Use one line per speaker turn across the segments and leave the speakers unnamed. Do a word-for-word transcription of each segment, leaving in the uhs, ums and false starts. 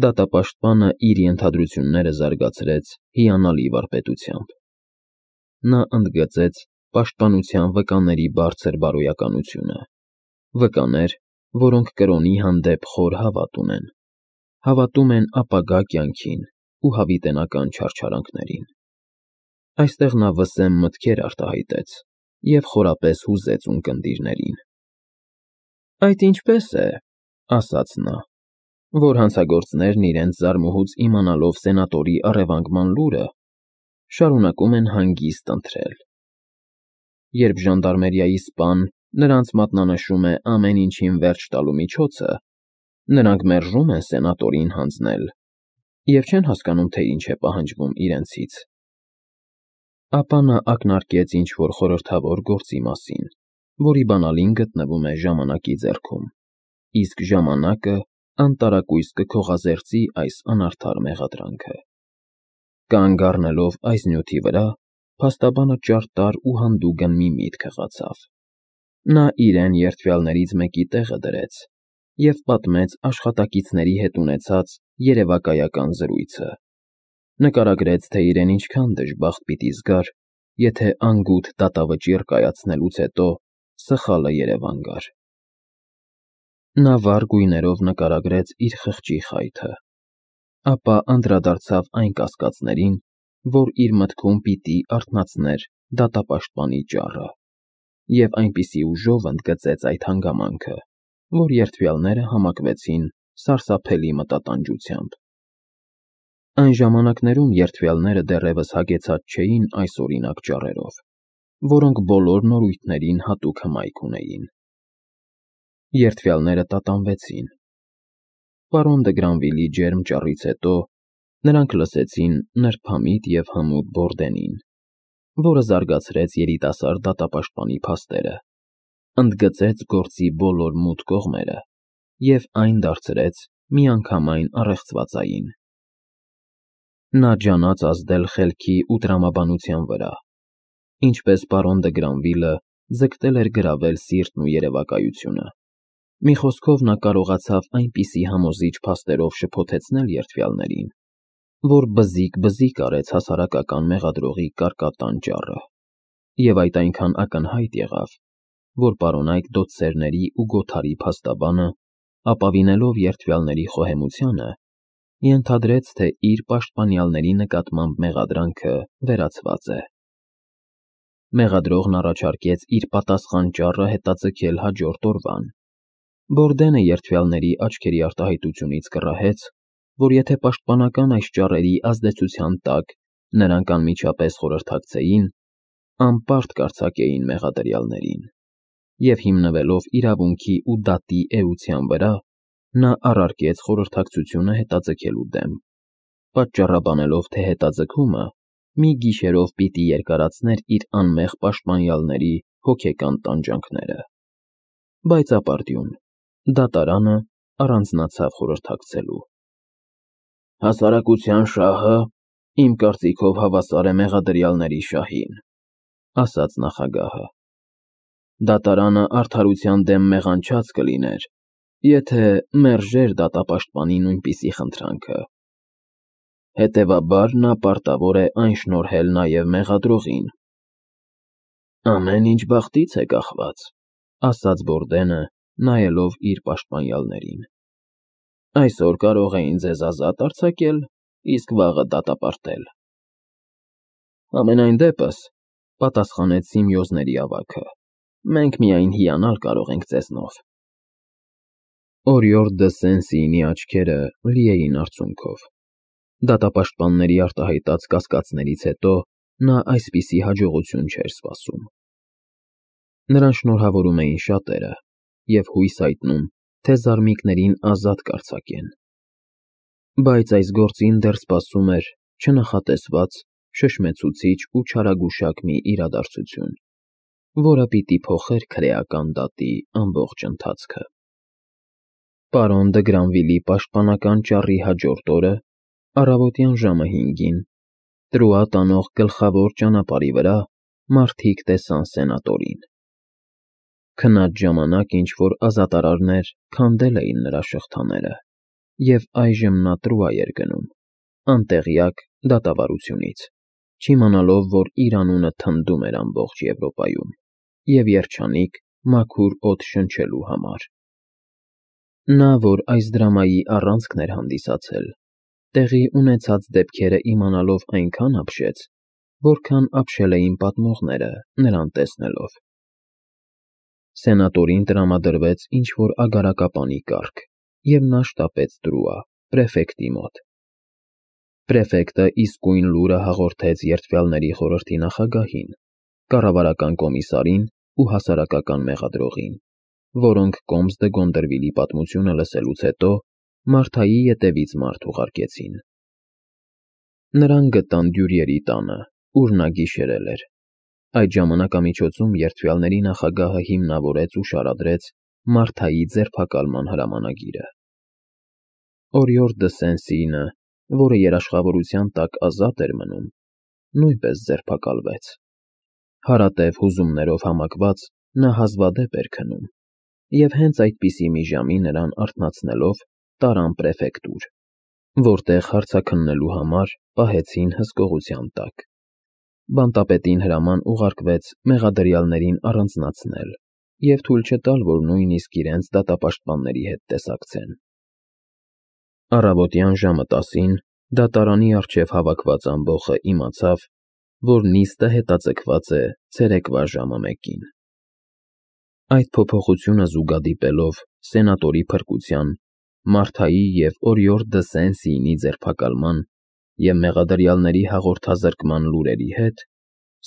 Դատապաշտպանը իր ենթադրությունները զարգացրեց հիանալի վարպետությամբ. նա ընդգծեց պաշտպանության վկաների բարձր բարոյականությունը, վկաներ, որոնք կրոնի հանդեպ խոր հավատ ունեն, հավատում են ապագա կյանքին ու հավիտենական չարչարանքներին։ Այստեղ նա վսեմ մտքեր արտահայտեց և խորապես հուզեց ունկնդիրներին։ «Այդ ինչպե՞ս է,֊ ասաց նա,֊ որ հանցագործներն իրենց զարմուհուց իմանալով սենատորի առևանգման լուրը, շարունակում են հանգիստ ընթրել։ Երբ ժանդարմերիայի սպան նրանց մատնանշում է ամեն ինչին վերջ տալու միջոցը, նրանք մերժում են սենատորին հանձնել և չեն հասկանում, թե ինչ է պահանջվում իրենցից»։ Ապա նա ակնարկեց ինչ-որ խորհրդավոր գործի մասին, որի բանալին գտնվում է ժամանակի ձեռքում, իսկ ժամանակը անտարակույս կքողազերծի այս անարդար մեղադրանքը։ Կանգ առնելով այս նյութի վրա, փաստաբանը ճարտար ու հանդուգն մի միտք հղացավ։ Նա իրեն երդվյալներից մեկի տեղը դրեց և պատմեց աշխատակիցների հետ ունեցած երևակայական զրույցը, նկարագրեց, թե իրեն ինչքան դժբախտ պիտի զգար, եթե անգութ դատավճիռ կայացնելուց հետո սխալը երևան գար։ Նա վառ գույներով նկարագրեց իր խղճի խայթը, ապա անդրադարձավ այն կասկածներին, որ իր մտքում պիտի արթնացներ դատապաշտպանի ճառը, և այնպիսի ուժով ընդգծեց այդ հանգամանքը, որ երդվյալները համակվեցին սարսափելի մտատանջությամբ։ Այն ժամանակներում երդվյալները դեռևս հագեցած չէին այսօրինակ ճառերով, որոնք բոլոր նորույթներին հատուկ հմայք ունեին։ Երդվյալները տատանվեցին։ Պարոն Դը Գրանվիլի ջերմ ճառից հետո նրանք լսեցին նրբամիտ և հմուտ Բորդենին, որը զարգացրեց երիտասարդ դատապաշտպանի փաստերը, ընդգծեց գործի բոլոր մութ կողմերը և այն դարձրեց միանգամայն առեղծվածային։ Նա ջանաց ազդել խելքի ու տրամաբանության վրա, ինչպես պարոն Դը Գրանվիլը ձգտել էր գրավել սիրտն ու երևակայությունը։ Մի խոսքով, նա կարողացավ այնպիսի համոզիչ փաստերով շփոթեցնել երդվյալներին, որ բզիկ-բզիկ արեց հասարակական մեղադրողի կարկատան ճառը, և այդ այնքան ակնհայտ եղավ, որ պարոնայք դոցսերների ու գոթարի փաստաբանը, ապավինելով երդվյալների խոհեմությանը, ենթադրեց, թե իր պաշտպանյալների նկատմամբ մեղադրանքը վերացված է։ Մեղադրողն առաջարկեց իր պատասխան ճառը հետաձգել հաջորդ օրվան։ Բորդենը երդվյալների աչքերի արտահայտությունից կռահեց, որ եթե պաշտպանական այս ճառերի ազդեցության տակ նրանք անմիջապես խորհրդակցեին, անպարտ կարձակեին մեղադրյալներին, և հիմնվելով իրավունքի ու դատի էության վրա, նա առարկեց խորհրդակցությունը հետաձգելու դեմ, պատճառաբանելով, թե հետաձգումը մի գիշերով պիտի երկարացներ իր անմեղ պաշտպանյալների հոգեկան տանջանքները։ Բայց ապարդյուն, դատարանը առանձնացավ խորհրդակցելու։ «Հասարակության շահը, իմ կարծիքով, հավասար է մեղադրյալների շահին,֊ ասաց նախագահը։ Դատարանը արդարության դեմ մեղանչած կլիներ, եթե մերժեր դատապաշտպանի նույնպիսի խնդրանքը։ Հետևաբար նա պարտավոր է այն շնորհել նաև մեղադրողին»։ «Ամեն ինչ բախտից է կախված,֊ ասաց Բորդենը, նայելով իր պաշտպանյալներին։ Այսօր կարող էին ձեզ ազատ արձակել, իսկ վաղը դատապարտել»։ «Համենայն դեպս,֊ պատասխանեց Սիմեոզների ավագը,֊ մենք միայն հիանալ կարող ենք ձեզնով»։ Օրիորդ դը Սեն֊Սիինի աչքերը լի էին արցունքով։ Դատապաշտպանների արտահայտած կասկածներից հետո նա այսպիսի հաջողություն չէր սպասում։ Նրան շնորհավորում էին շատերը և հույս հայտնում, թե զարմիկներին ազատ կարձակեն։ Բայց այս գործին դեռ սպասում էր չնախատեսված, շշմեցուցիչ ու չարագուշակ մի իրադարձություն, որը պիտի փոխեր քրեական դատի ամբողջ ընթացքը։ Պարոն Դը Գրանվիլի պաշտպանական ճառի հաջորդ օրը, առավոտյան ժամը հինգին, Տրուա տանող գլխավոր ճանապարհի վրա մարդիկ տեսան սենատորին։ Քնած ժամանակ ինչ֊որ ազատարարներ քանդել էին նրա շղթաները, և այժմ նա Տրուա էր գնում, անտեղյակ դատավարությունից, չիմանալով, որ իր անունը թնդում էր ամբողջ Եվրոպայում, և երջանիկ, մաքուր օդ շնչելու համար։ Նա, որ այս դրամայի առանցքն էր հանդիսացել, տեղի ունեցած դեպքերը իմանալով այնքան ապշեց, որքան ապշել էին պատմողները նրան տեսնելով։ Սենատորին տրամադրվեց ինչ-որ ագարակապանի կարգ, և նա շտապեց Տրուա, պրեֆեկտի մոտ։ Պրեֆեկտը իսկույն լուրը հաղորդեց երդվյալների խորհրդի նախագահին, կառավարական կոմիսարին ու հասարակական մեղադրողին, որոնք Կոմս դը Գոնդրվիլի պատմությունը լսելուց հետո Մարթայի ետևից մարդ ուղարկեցին։ Նրան գտան Դյուրիերի տանը, ուր նա գիշերել էր։ Այդ ժամանակամիջոցում երդվյալների նախագահը հիմնավորեց ու շարադրեց Մարթայի ձերբակալման հրամանագիրը։ Օրիորդ դը Սեն֊Սինը, որը երաշխավորության տակ ազատ էր մնում, նույնպես ձերբակալվեց։ Հարատև հուզումներով համակված նա հազվադեպ էր քնում, և հենց այդպիսի մի ժամի նրան արթնացնելով տարան պրեֆեկտուր, որտեղ հարցաքննելու համար պահեցին հսկողության տակ։ Բանտապետին հրաման ուղարկվեց մեղադրյալներին առանձնացնել և թույլ չտալ, որ նույնիսկ իրենց դատապաշտպանների հետ տեսակցեն։ Առավոտյան ժամը տասին դատարանի առջև հավաքված ամբոխը իմացավ, որ նիստը հետաձգված է ցերեկվա ժամը մեկին։ Այդ փոփոխությունը զուգադիպելով սենատորի փրկության, Մարթայի և Օրիորդ դը Սեն-Սիինի ձերբակալման և մեղադրյալների հաղորդազրկման լուրերի հետ,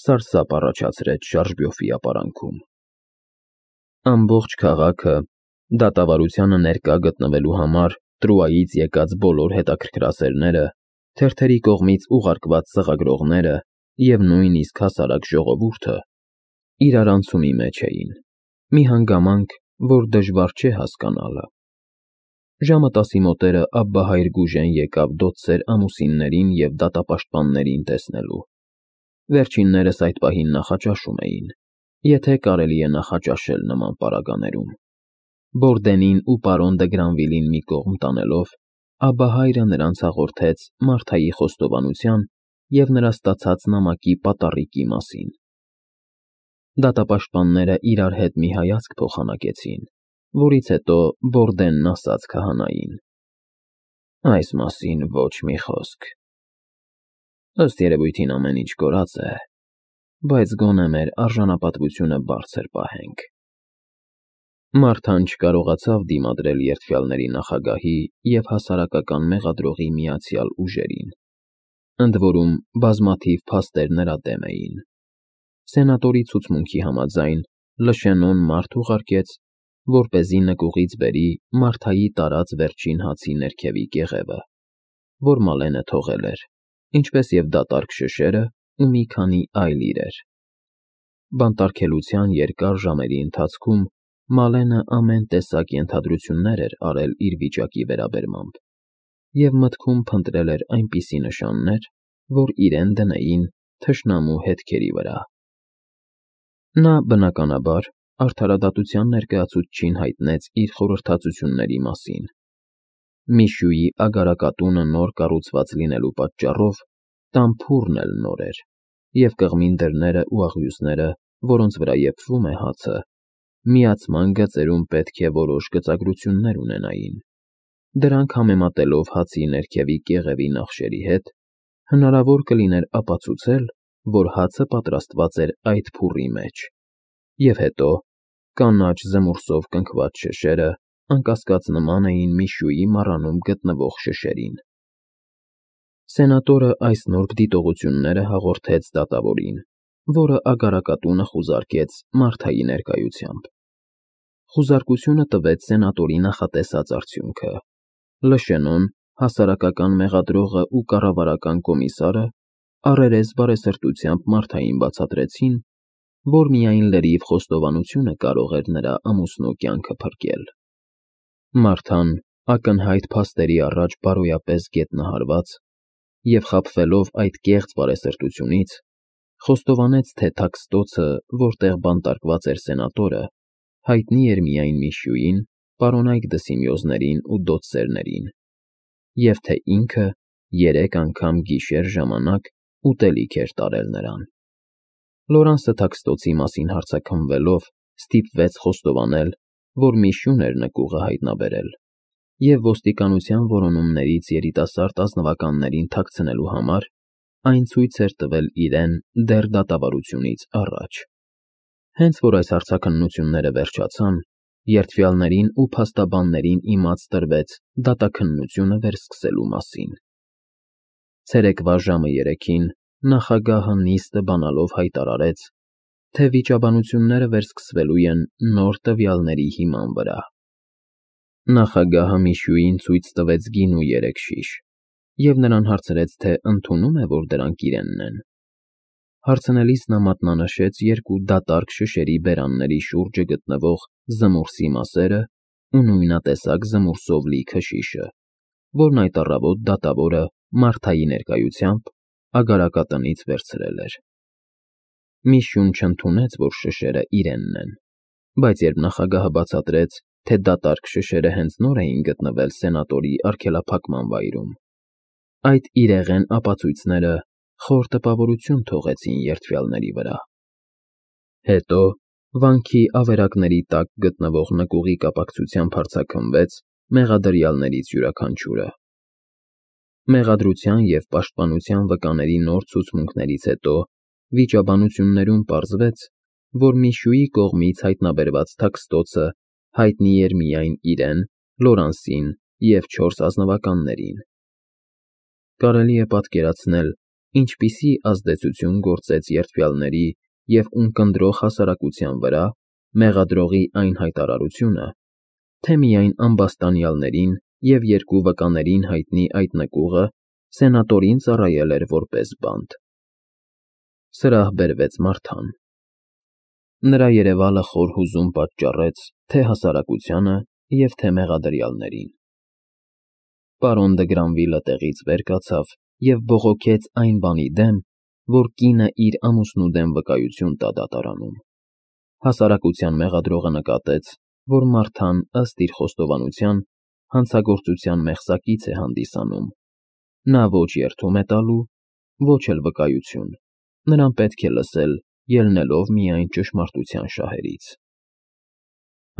սարսափ առաջացրեց Շարժբյոֆի ապարանքում։ Ամբողջ քաղաքը, դատավարությանը ներկա գտնվելու համար Տրուայից եկած բոլոր հետաքրքրասերները, թերթերի կողմից ուղարկված ծղագրողները և նույնիսկ հասարակ ժողովուրդը իրարանցումի մեջ էին, մի հանգամանք, որ դժվար չէ հասկանալը։ Ժամը տասի մոտերը Աբբահայր Գուժեն եկավ դոցսեր ամուսիններին և դատապաշտպաններին տեսնելու։ Վերջիններս այդ պահին նախաճաշում էին, եթե կարելի է նախաճաշել նման պարագաներում։ Բորդենին ու պարոն դը Գրանվիլին մի կողմ տանելով, Աբբահայրը նրանց հաղորդեց Մարթայի խոստովանության և նրա ստացած նամակի պատառիկի մասին։ Դատապաշտպանները իրար հետ մի հայացք փոխանակեցին, որից հետո Բորդենն ասաց քահանային. «Այս մասին ոչ մի խոսք։ Ըստ երևույթին ամեն ինչ կորած է, բայց գոնե մեր արժանապատվությունը բարձր պահենք»։ Մարթան չկարողացավ դիմադրել երդվյալների նախագահի և հասարակական մեղադրողի միացյալ ուժերին, ընդ որում բազմաթիվ փաստեր նրա դեմ էին։ Սենատորի ցուցմունքի համաձայն Լշենոն մարդ ուղարկեց, որպեսզի նկուղից բերի Մարթայի տարած վերջին հացի ներքևի կեղևը, որ Մալենը թողել էր, ինչպես և դատարկ շշերը ու մի քանի այլ իրեր։ Բանտարկելության երկար ժամերի ընթացքում Մալենը ամեն տեսակ ենթադրություններ էր արել իր վիճակի վերաբերմամբ և մտքում փնտրել էր այնպիսի նշաններ, որ իրեն դնեին թշնամու հետքերի վրա։ Նա, բնականաբար, արդարադատության ներկայացուցչին հայտնեց իր խորհրդածությունների մասին։ Միշուի ագարակատունը նոր կառուցված լինելու պատճառով տամբուրն էլ նոր էր, և կղմին դռները ու աղյուսները, որոնց վրա եփվում է հացը, միացման գծերում պետք է որոշ գծագրություններ ունենային։ Դրանք համեմատելով հացի ներքևի կեղևի նախշերի հետ, հնարավոր կլիներ ապացուցել, որ հացը պատրաստված էր այդ փուռի մեջ, և հետո կանաչ զմուրսով կնքված շշերը անկասկած նման էին Միշուի մառանում գտնվող շշերին։ Սենատորը այս նուրբ դիտողությունները հաղորդեց դատավորին, որը ագարակատունը խուզարկեց Մարթայի ներկայությամբ։ Խուզարկությունը տվեց սենատորի նախատեսած արդյունքը։ Լշենոն, հասարակական մեղադրողը ու կառավարական կոմիսարը առերես բարեսրտությամբ Մարթային բացատրեցին, որ միայն լրիվ խոստովանությունը կարող էր նրա ամուսնու կյանքը փրկել։ Մարթան, ակնհայտ փաստերի առաջ բարոյապես գետնահարված և խաբվելով այդ կեղծ բարեսրտությունից, խոստովանեց, թե թաքստոցը, որտեղ բանտարկված էր սենատորը, հայտնի էր միայն Միշուին, պարոնայք դը Սիմեոզներին ու դոցսերներին, և թե ինքը երեք անգամ գիշեր ժամանակ ուտելիք էր տարել նրան։ Լորանսը Թաքստոցի մասին հարցաքննվելով ստիպվեց խոստովանել, որ մի շուն էր նկուղը հայտնաբերել, և ոստիկանության որոնումներից երիտասարդ ազնվականներին թաքցնելու համար այն ցույց էր տվել իրեն դեռ դատավարությունից առաջ։ Հենց որ այս հարցաքննությունները վերջացան, երդվյալներին ու փաստաբաններին իմաց տրվեց դատաքննությունը վերսկսելու մասին։ Ցերեկվա ժամը երեքին նախագահը նիստը բանալով հայտարարեց, թե վիճաբանությունները վերսկսվելու են նոր տվյալների հիման վրա։ Նախագահը Միշուին ցույց տվեց գինու երեք շիշ և նրան հարցրեց, թե ընդունո՞ւմ է, որ դրանք իրենն են։ Հարցնելիս նա մատնանշեց երկու դատարկ շշերի բերանների շուրջը գտնվող զմուրսի մասերը ու նույնատեսակ զմուրսով լի քշիշը, որն այդ առավոտ դատավորը Մարթայի ներկայությամբ ագարակատնից վերցրել էր։ Միշուն չընդունեց, որ շշերը իրենն են, բայց երբ նախագահը բացատրեց, թե դատարկ շշերը հենց նոր էին գտնվել սենատորի արգելափակման վայրում, այդ իրեղեն ապացույցները խոր տպավորություն թողեցին երդվյալների վրա։ Հետո վանքի ավերակների տակ գտնվող նկուղի կապակցությամբ հարձաքնվեց մեղադրյալներից յուրաքանչյուրը։ Մեղադրության և պաշտպանության վկաների նոր ցուցմունքներից հետո վիճաբանություններում պարզվեց, որ Միշուի կողմից հայտնաբերված Թաքստոցը հայտնի էր միայն իրեն, Լորանսին և չորս ազնվականներին։ Կարելի է պատկերացնել, ինչպիսի ազդեցություն գործեց երդվյալների և ունկնդրող հասարակության վրա մեղադրողի այն հայտարարությունը, թե միայն ամբաստանյալներին և երկու վկաներին հայտնի այդ նկուղը սենատորին ծառայել էր որպես բանտ։ Սրահ բերվեց Մարթան։ Նրա երևալը խոր հուզում պատճառեց թե հասարակությանը և թե մեղադրյալներին։ Պարոն Դը Գրանվիլը տեղից վեր կացավ և բողոքեց այն բանի դեմ, որ կինը իր ամուսնու դեմ վկայություն տա դատարանում։ Հասարակության մեղադրողը նկատեց, որ Մարթան, ըստ իր խոստովանության, հանցագործության մեղսակից է հանդիսանում։ Նա ոչ երդում է տալու, ոչ էլ վկայություն, նրան պետք է լսել, ելնելով միայն ճշմարտության շահերից։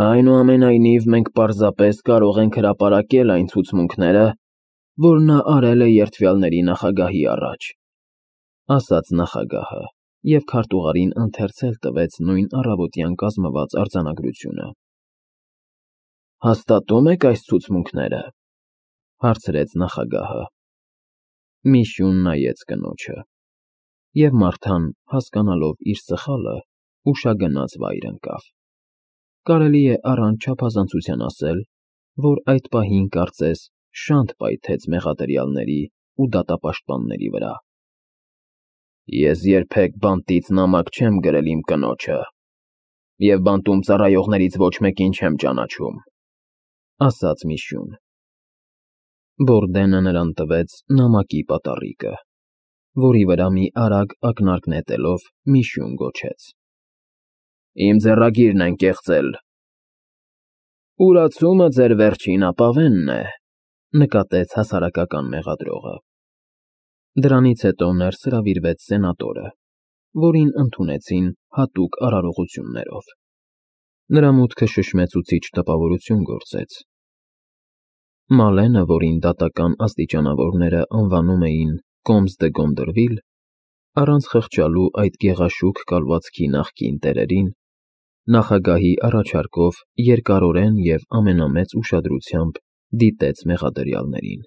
Այնուամենայնիվ մենք պարզապես կարող ենք հրապարակել այն ցուցմունքները, որ նա արել է երդվյալների նախագահի առաջ, ասաց նախագահը և քարտուղարին ընթերցել տվեց նույն առավոտյան կազմված արձանագրությունը։ Հաստատո՞ւմ եք այս ցուցմունքները, հարցրեց նախագահը։ Միշուն նայեց կնոջը, և Մարթան, հասկանալով իր սխալը, ուշագնաց վայր ընկավ։ Կարելի է առանց չափազանցության ասել, որ այդ պահին կարծես շանթ պայթեց մեղադրյալների ու դատապաշտպանների վրա։ Ես երբեք բանտից նամակ չեմ գրել իմ կնոջը, և բանտում ծառայողներից ոչ մեկին չեմ ճանաչում, ասաց Միշուն։ Բորդենը նրան տվեց նամակի պատառիկը, որի վրա մի արագ ակնարկ նետելով Միշուն գոչեց. Իմ ձեռագիրն են կեղծել։ Ուրացումը ձեր վերջին ապավենն է, նկատեց հասարակական մեղադրողը։ Դրանից հետո ներս հրավիրվեց սենատորը, որին ընդունեցին հատուկ արարողություններով։ Նրա մուտքը շշմեցուցիչ տպավորություն գործեց։ Մալենը, որին դատական աստիճանավորները անվանում էին Կոմս դը Գոնդրվիլ, առանց խղճալու այդ գեղաշուք կալվածքի նախկին տերերին, նախագահի առաջարկով երկարորեն և ամենամեծ ուշադրությամբ դիտեց մեղադրյալներին։